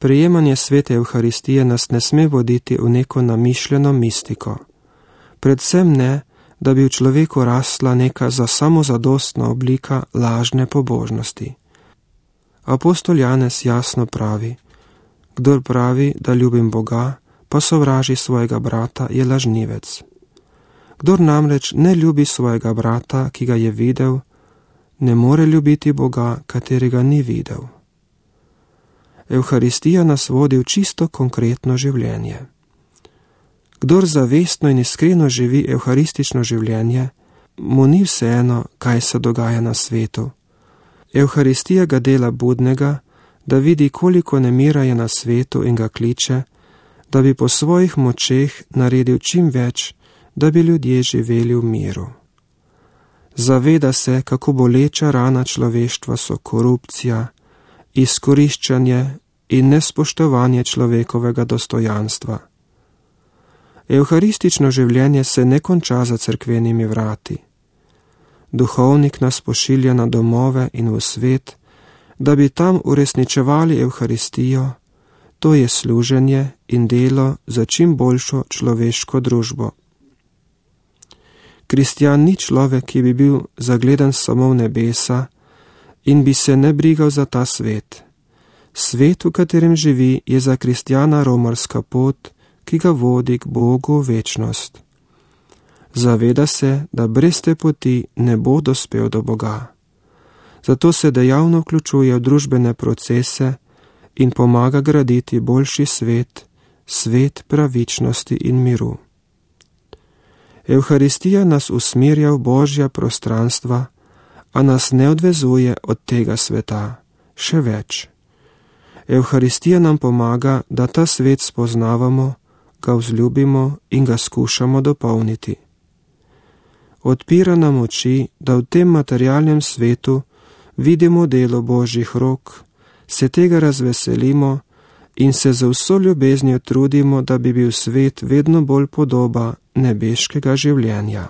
Prejemanje svete Evharistije nas ne sme voditi v neko namišljeno mistiko. Predvsem ne, da bi v človeku rasla neka za samozadostna oblika lažne pobožnosti. Apostol Janez jasno pravi: kdor pravi, da ljubim Boga, pa sovraži svojega brata, je lažnivec. Kdor namreč ne ljubi svojega brata, ki ga je videl, ne more ljubiti Boga, katerega ni videl. Evharistija nas vodi v čisto konkretno življenje. Kdor zavestno in iskreno živi evharistično življenje, mu ni vseeno, kaj se dogaja na svetu. Evharistija ga dela budnega, da vidi, koliko nemira je na svetu in ga kliče, da bi po svojih močeh naredil čim več, da bi ljudje živeli v miru. Zaveda se, kako boleča rana človeštva so korupcija, izkoriščanje in nespoštovanje človekovega dostojanstva. Evharistično življenje se ne konča za cerkvenimi vrati. Duhovnik nas pošilja na domove in v svet, da bi tam uresničevali Evharistijo, to je služenje in delo za čim boljšo človeško družbo. Kristjan ni človek, ki bi bil zagledan samo v nebesa in bi se ne brigal za ta svet. Svet, v katerem živi, je za kristjana romarska pot, ki ga vodi k Bogu v večnost. Zaveda se, da brez te poti ne bo dospel do Boga. Zato se dejavno vključuje v družbene procese in pomaga graditi boljši svet, svet pravičnosti in miru. Evharistija nas usmerja v Božja prostranstva, a nas ne odvezuje od tega sveta. Še več. Evharistija nam pomaga, da ta svet spoznavamo, ga vzljubimo in ga skušamo dopolniti. Odpira nam oči, da v tem materialnem svetu vidimo delo Božjih rok, se tega razveselimo in se z vso ljubeznijo trudimo, da bi bil svet vedno bolj podoba nebeškega življenja.